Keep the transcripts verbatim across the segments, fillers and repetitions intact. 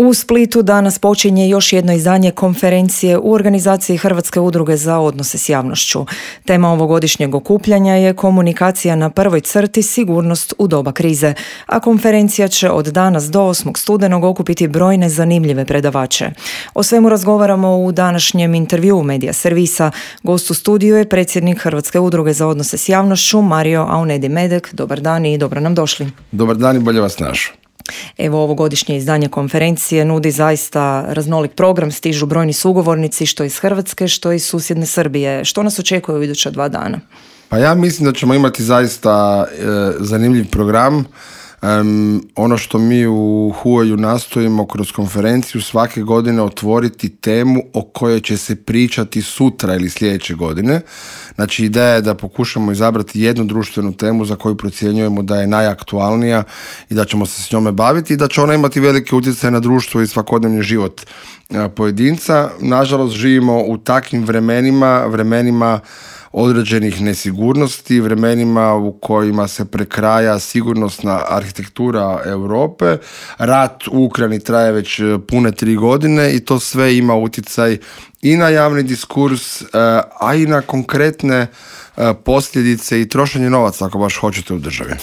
U Splitu danas počinje još jedno izdanje konferencije u organizaciji Hrvatske udruge za odnose s javnošću. Tema ovogodišnjeg okupljanja je komunikacija na prvoj crti, sigurnost u doba krize, a konferencija će od danas do osmog studenog okupiti brojne zanimljive predavače. O svemu razgovaramo u današnjem intervjuu Medija servisa. Gost u studiju je predsjednik Hrvatske udruge za odnose s javnošću Mario Aunedi-Medek. Dobar dan i dobro nam došli. Dobar dan i bolje vas našao. Evo, ovogodišnje izdanje konferencije nudi zaista raznolik program, stižu brojni sugovornici što iz Hrvatske, što iz susjedne Srbije. Što nas očekuje u iduća dva dana? Pa ja mislim da ćemo imati zaista e, zanimljiv program. Um, ono što mi u H U A-u nastojimo kroz konferenciju svake godine otvoriti temu o kojoj će se pričati sutra ili sljedeće godine. Znači, ideja je da pokušamo izabrati jednu društvenu temu za koju procjenjujemo da je najaktualnija i da ćemo se s njome baviti i da će ona imati velike utjecaje na društvo i svakodnevni život pojedinca. Nažalost, živimo u takvim vremenima, vremenima određenih nesigurnosti, vremenima u kojima se prekraja sigurnosna arhitektura Europe. Rat u Ukrajini traje već pune tri godine i to sve ima utjecaj i na javni diskurs, a i na konkretne posljedice i trošenje novaca, ako baš hoćete, u državi.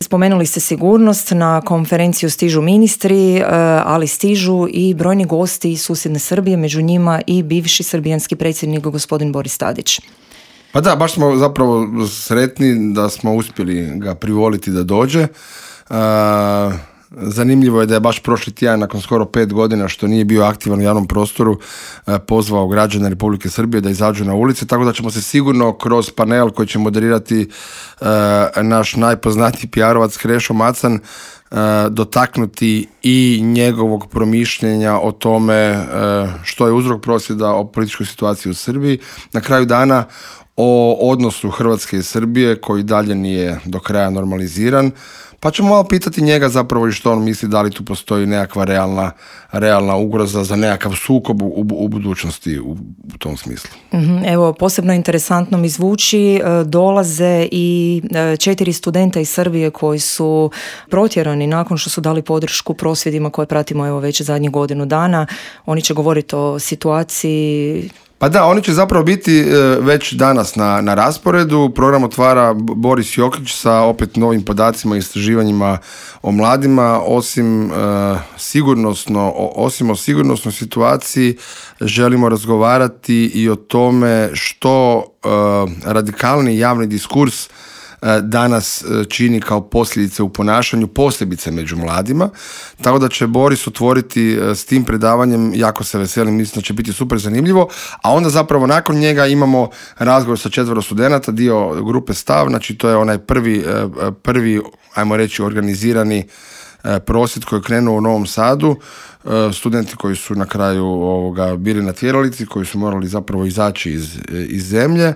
Spomenuli ste sigurnost, na konferenciju stižu ministri, ali stižu i brojni gosti iz susjedne Srbije, među njima i bivši srbijanski predsjednik gospodin Boris Tadić. Pa da, baš smo zapravo sretni da smo uspjeli ga privoliti da dođe. E, zanimljivo je da je baš prošli tjedan, nakon skoro pet godina što nije bio aktivan u javnom prostoru, e, pozvao građane Republike Srbije da izađu na ulice, tako da ćemo se sigurno kroz panel koji će moderirati e, naš najpoznatiji P R-ovac Krešo Macan e, dotaknuti i njegovog promišljenja o tome e, što je uzrok prosvjeda, o političkoj situaciji u Srbiji. Na kraju dana o odnosu Hrvatske i Srbije koji dalje nije do kraja normaliziran, pa ćemo malo pitati njega zapravo i što on misli, da li tu postoji nekakva realna, realna ugroza za nekakav sukob u, u budućnosti u, u tom smislu. Evo, posebno interesantno mi zvuči, dolaze i četiri studenta iz Srbije koji su protjerani nakon što su dali podršku prosvjedima koje pratimo evo već zadnjih godinu dana. Oni će govoriti o situaciji. Pa da, oni će zapravo biti već danas na, na rasporedu. Program otvara Boris Jokić sa opet novim podacima i istraživanjima o mladima. Osim, uh, sigurnosno, osim o sigurnosnoj situaciji želimo razgovarati i o tome što uh, radikalni javni diskurs danas čini kao posljedice u ponašanju, posebice među mladima. Tako da će Boris otvoriti s tim predavanjem, jako se veselim, mislim da će biti super zanimljivo, a onda zapravo nakon njega imamo razgovor sa četvero studenata, dio grupe Stav, znači to je onaj prvi, prvi ajmo reći, organizirani prosvjed koji je krenuo u Novom Sadu, studenti koji su na kraju ovoga bili na tjeralici, koji su morali zapravo izaći iz, iz zemlje.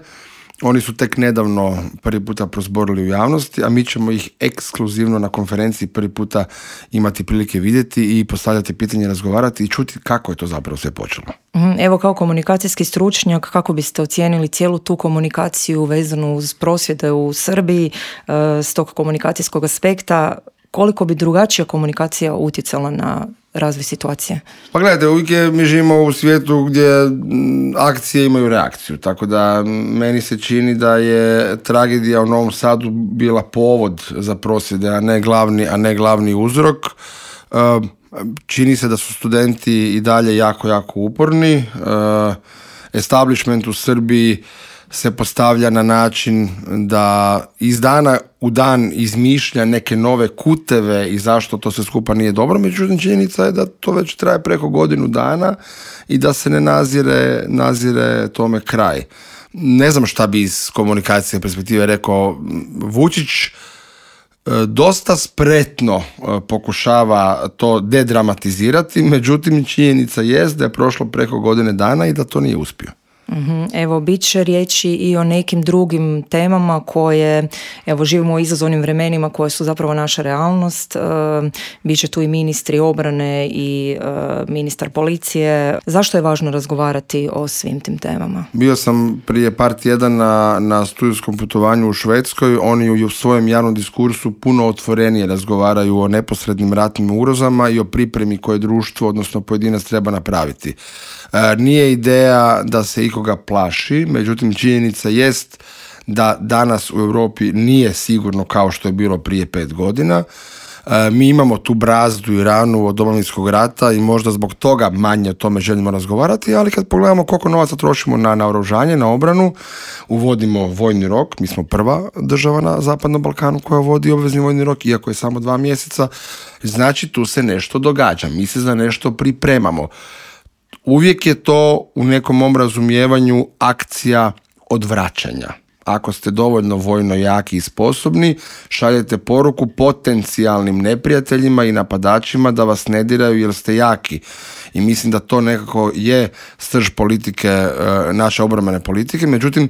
Oni su tek nedavno prvi puta prozborili u javnosti, a mi ćemo ih ekskluzivno na konferenciji prvi puta imati prilike vidjeti i postavljati pitanje, razgovarati i čuti kako je to zapravo sve počelo. Evo, kao komunikacijski stručnjak, kako biste ocijenili cijelu tu komunikaciju vezanu uz prosvjede u Srbiji s tog komunikacijskog aspekta? Koliko bi drugačija komunikacija utjecala na razvoj situacije? Pa gledajte, uvijek je, mi živimo u svijetu gdje akcije imaju reakciju, tako da meni se čini da je tragedija u Novom Sadu bila povod za prosvjede, a ne glavni, a ne glavni uzrok. Čini se da su studenti i dalje jako, jako uporni. Establishment u Srbiji se postavlja na način da iz dana u dan izmišlja neke nove kuteve i zašto to sve skupa nije dobro, međutim činjenica je da to već traje preko godinu dana i da se ne nazire, nazire tome kraj. Ne znam šta bi iz komunikacije perspektive rekao. Vučić dosta spretno pokušava to dedramatizirati, međutim činjenica jest da je prošlo preko godine dana i da to nije uspio. Mm-hmm. Evo, bit će riječi i o nekim drugim temama koje, evo, živimo u izazovnim vremenima koje su zapravo naša realnost. E, bit će tu i ministri obrane i e, ministar policije. Zašto je važno razgovarati o svim tim temama? Bio sam prije par tjedana na studijskom putovanju u Švedskoj. Oni u svojem javnom diskursu puno otvorenije razgovaraju o neposrednim ratnim ugrozama i o pripremi koje društvo, odnosno pojedinac, treba napraviti. E, nije ideja da se ikoga plaši, međutim činjenica jest da danas u Europi nije sigurno kao što je bilo prije pet godina. E, mi imamo tu brazdu i ranu od Domovinskog rata i možda zbog toga manje o tome želimo razgovarati, ali kad pogledamo koliko novaca trošimo na naoružanje, na obranu, uvodimo vojni rok, mi smo prva država na Zapadnom Balkanu koja vodi obvezni vojni rok, iako je samo dva mjeseca, znači tu se nešto događa, mi se za nešto pripremamo. Uvijek je to u nekom mom razumijevanju akcija odvraćanja. Ako ste dovoljno vojno jaki i sposobni, šaljete poruku potencijalnim neprijateljima i napadačima da vas ne diraju jer ste jaki. I mislim da to nekako je srž politike, naše obrambene politike. Međutim,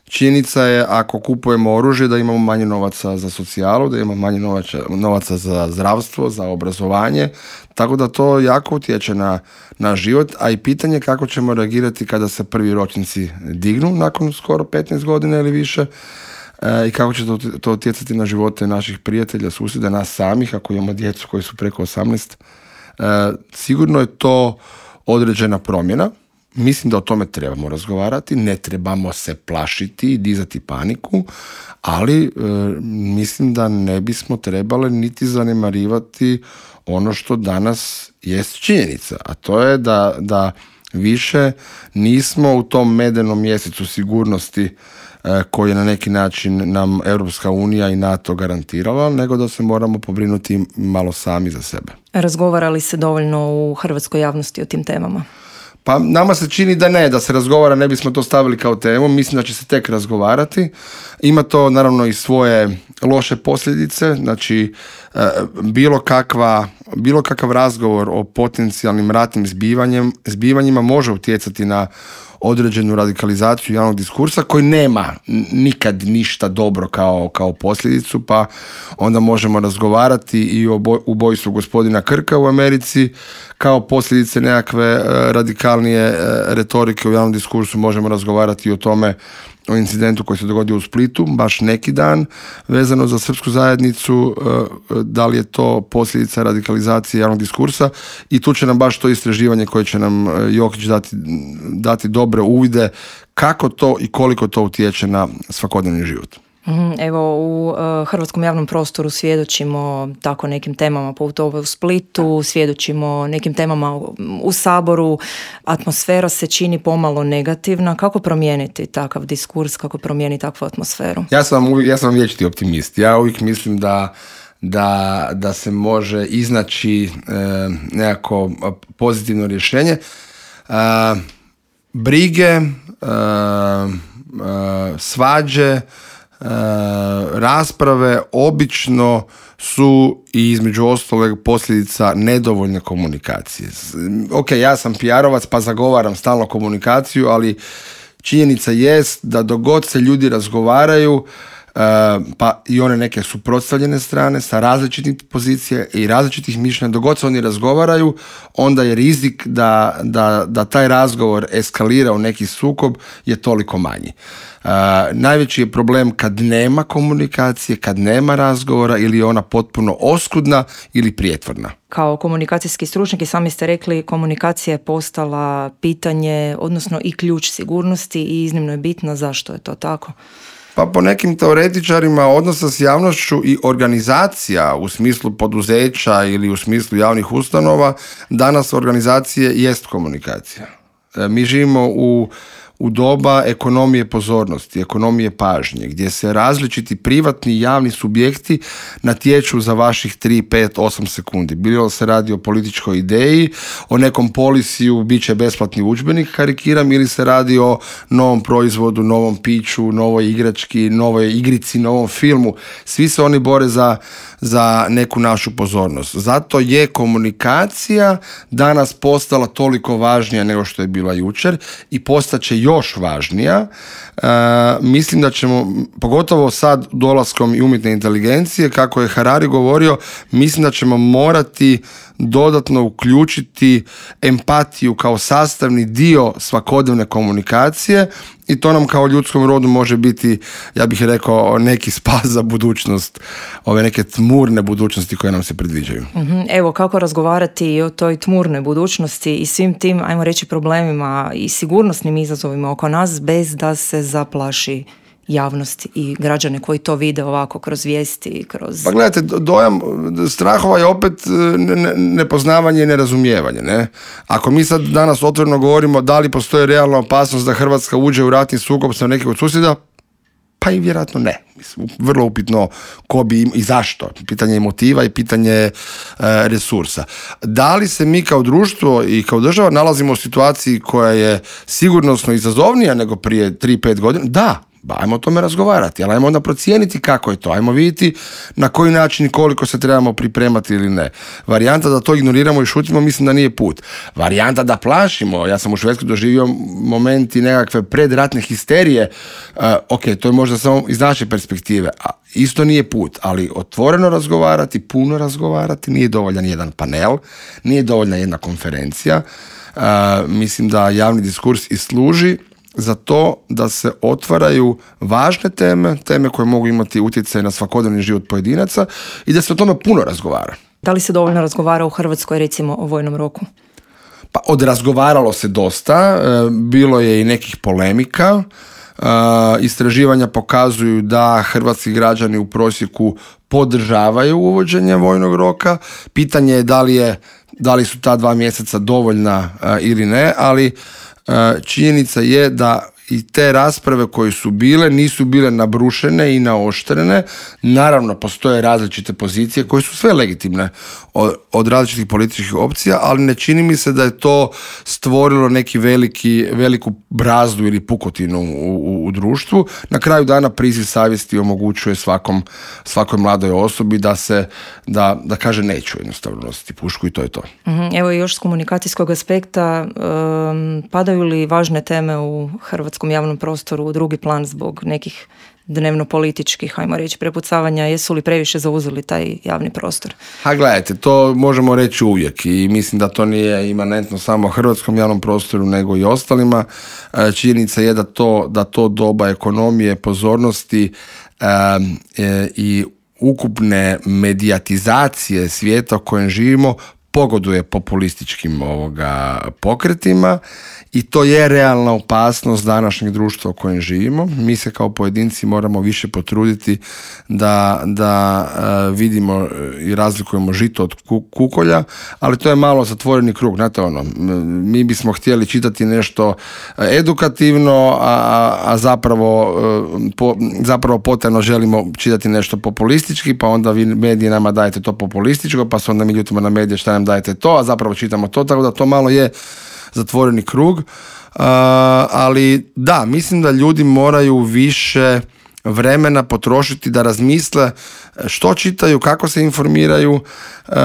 činjenica je ako kupujemo oružje da imamo manje novaca za socijalu, da imamo manje novaca, novaca za zdravstvo, za obrazovanje, tako da to jako utječe na, na život, a i pitanje kako ćemo reagirati kada se prvi ročnici dignu nakon skoro petnaest godina ili više e, i kako će to, to utjecati na živote naših prijatelja, susjeda, nas samih, ako imamo djecu koji su preko osamnaest. E, sigurno je to određena promjena. Mislim da o tome trebamo razgovarati, ne trebamo se plašiti i dizati paniku, ali e, mislim da ne bismo trebali niti zanemarivati ono što danas jest činjenica, a to je da, da više nismo u tom medenom mjesecu sigurnosti e, koji je na neki način nam Europska unija i NATO garantirala, nego da se moramo pobrinuti malo sami za sebe. Razgovara li se dovoljno u hrvatskoj javnosti o tim temama? Pa nama se čini da ne, da se razgovara, ne bismo to stavili kao temu, mislim da će se tek razgovarati. Ima to naravno i svoje loše posljedice, znači bilo, kakva, bilo kakav razgovor o potencijalnim ratnim zbivanjem, zbivanjima može utjecati na određenu radikalizaciju javnog diskursa koji nema nikad ništa dobro kao, kao posljedicu, pa onda možemo razgovarati i o ubojstvu gospodina Krka u Americi kao posljedice nekakve radikalnije retorike u javnom diskursu. Možemo razgovarati i o tome, o incidentu koji se dogodio u Splitu, baš neki dan, vezano za srpsku zajednicu, da li je to posljedica radikalizacije javnog diskursa, i tu će nam baš to istraživanje koje će nam Jokić dati, dati dobre uvide kako to i koliko to utječe na svakodnevni život. Evo, u uh, hrvatskom javnom prostoru svjedočimo tako nekim temama, poput ove u Splitu, svjedočimo nekim temama u, u Saboru, atmosfera se čini pomalo negativna. Kako promijeniti takav diskurs, kako promijeniti takvu atmosferu? Ja sam, uvijek, ja sam vječiti optimist. Ja uvijek mislim da, da, da se može iznaći e, nekako pozitivno rješenje. E, brige, e, e, svađe, Uh, rasprave obično su i između ostalog posljedica nedovoljne komunikacije. Ok, ja sam P R-ovac pa zagovaram stalno komunikaciju, ali činjenica jest da dok god se ljudi razgovaraju, uh, pa i one neke suprotstavljene strane sa različitih pozicija i različitih mišljenja, dok god se oni razgovaraju, onda je rizik da, da, da taj razgovor eskalira u neki sukob je toliko manji. Uh, najveći je problem kad nema komunikacije, kad nema razgovora ili je ona potpuno oskudna ili prijetvorna. Kao komunikacijski stručnjak i sami ste rekli, komunikacija je postala pitanje, odnosno i ključ sigurnosti i iznimno je bitna. Zašto je to tako? Pa po nekim teoretičarima odnosa s javnošću i organizacija u smislu poduzeća ili u smislu javnih ustanova, danas organizacije jest komunikacija. E, mi živimo u u doba ekonomije pozornosti, ekonomije pažnje, gdje se različiti privatni i javni subjekti natječu za vaših tri, pet, osam sekundi. Bilo se radi o političkoj ideji, o nekom polisiju, bit će besplatni udžbenik, karikiram, ili se radi o novom proizvodu, novom piću, novoj igrački, novoj igrici, novom filmu. Svi se oni bore za, za neku našu pozornost. Zato je komunikacija danas postala toliko važnija nego što je bila jučer i postaće još važnija. Uh, mislim da ćemo, pogotovo sad dolaskom i umjetne inteligencije, kako je Harari govorio, mislim da ćemo morati dodatno uključiti empatiju kao sastavni dio svakodnevne komunikacije i to nam kao ljudskom rodu može biti, ja bih rekao, neki spas za budućnost, ove neke tmurne budućnosti koje nam se predviđaju. Mm-hmm. Evo, kako razgovarati i o toj tmurnoj budućnosti i svim tim, ajmo reći, problemima i sigurnosnim izazovima oko nas bez da se zaplaši javnost i građane koji to vide ovako kroz vijesti, kroz... Pa gledajte, dojam strahova je opet nepoznavanje i nerazumijevanje. Ne? Ako mi sad danas otvoreno govorimo da li postoji realna opasnost da Hrvatska uđe u ratni sukob sa nekih od susjeda, pa i vjerojatno ne. Mislim, vrlo upitno ko bi i zašto. Pitanje je motiva i pitanje e, resursa. Da li se mi kao društvo i kao država nalazimo u situaciji koja je sigurnosno izazovnija nego prije tri pet godina? Da. Ba, ajmo o tome razgovarati, ali ajmo onda procijeniti kako je to, ajmo vidjeti na koji način i koliko se trebamo pripremati ili ne. Varijanta da to ignoriramo i šutimo, mislim da nije put. Varijanta da plašimo, ja sam u Švedskoj doživio momenti nekakve predratne histerije, uh, ok, to je možda samo iz naše perspektive, a isto nije put, ali otvoreno razgovarati, puno razgovarati, nije dovoljan jedan panel, nije dovoljna jedna konferencija, uh, mislim da javni diskurs i služi za to da se otvaraju važne teme, teme koje mogu imati utjecaj na svakodnevni život pojedinaca i da se o tome puno razgovara. Da li se dovoljno razgovara u Hrvatskoj, recimo, o vojnom roku? Pa odrazgovaralo se dosta, bilo je i nekih polemika. Istraživanja pokazuju da hrvatski građani u prosjeku podržavaju uvođenje vojnog roka. Pitanje je da li je, da li su ta dva mjeseca dovoljna ili ne, ali činjenica je da i te rasprave koje su bile nisu bile nabrušene i naoštrene. Naravno, postoje različite pozicije koje su sve legitimne od, od različitih političkih opcija, ali ne čini mi se da je to stvorilo neki veliki, veliku brazdu ili pukotinu u, u, u društvu. Na kraju dana priziv savjesti omogućuje svakom, svakoj mladoj osobi da se, da, da kaže neću jednostavno nositi pušku i to je to. Mm-hmm. Evo još s komunikacijskog aspekta, um, padaju li važne teme u Hrvatskoj javnom prostoru u drugi plan zbog nekih dnevno političkih, ajmo reći, prepucavanja, jesu li previše zauzeli taj javni prostor? Ha, gledajte, to možemo reći uvijek i mislim da to nije imanentno samo hrvatskom javnom prostoru nego i ostalima. Činjenica je da to, da to doba ekonomije, pozornosti e, e, i ukupne medijatizacije svijeta u kojem živimo pogoduje populističkim ovoga pokretima i to je realna opasnost današnjeg društva u kojem živimo. Mi se kao pojedinci moramo više potruditi da, da uh, vidimo i razlikujemo žito od kukolja, ali to je malo zatvoreni krug. Znate ono, mi bismo htjeli čitati nešto edukativno, a, a zapravo, uh, po, zapravo potajno želimo čitati nešto populistički, pa onda vi mediji nama dajete to populističko, pa se onda mi ljutimo na medije šta nam dajete to, a zapravo čitamo to, tako da to malo je zatvoreni krug, uh, ali da, mislim da ljudi moraju više vremena potrošiti da razmisle što čitaju, kako se informiraju uh,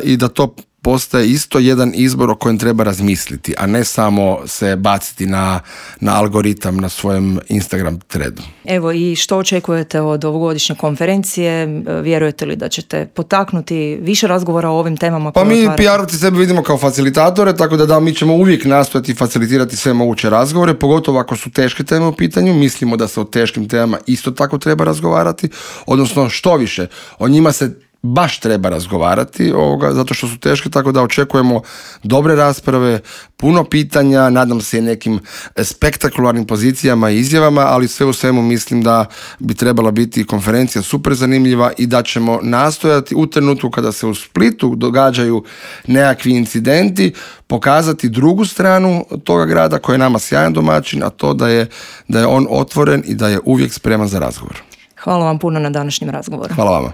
i da to postaje isto jedan izbor o kojem treba razmisliti, a ne samo se baciti na, na algoritam na svojem Instagram threadu. Evo, i što očekujete od ovogodišnje konferencije? Vjerujete li da ćete potaknuti više razgovora o ovim temama? Pa mi P R-ovci sebe vidimo kao facilitatore, tako da da, mi ćemo uvijek nastojati facilitirati sve moguće razgovore, pogotovo ako su teške teme u pitanju. Mislimo da se o teškim temama isto tako treba razgovarati, odnosno što više, o njima se baš treba razgovarati ovoga, zato što su teške, tako da očekujemo dobre rasprave, puno pitanja, nadam se i nekim spektakularnim pozicijama i izjavama, ali sve u svemu mislim da bi trebala biti konferencija super zanimljiva i da ćemo nastojati u trenutku kada se u Splitu događaju nekakvi incidenti, pokazati drugu stranu toga grada koji je nama sjajan domaćin, a to da je, da je on otvoren i da je uvijek spreman za razgovor. Hvala vam puno na današnjem razgovoru. Hvala vama.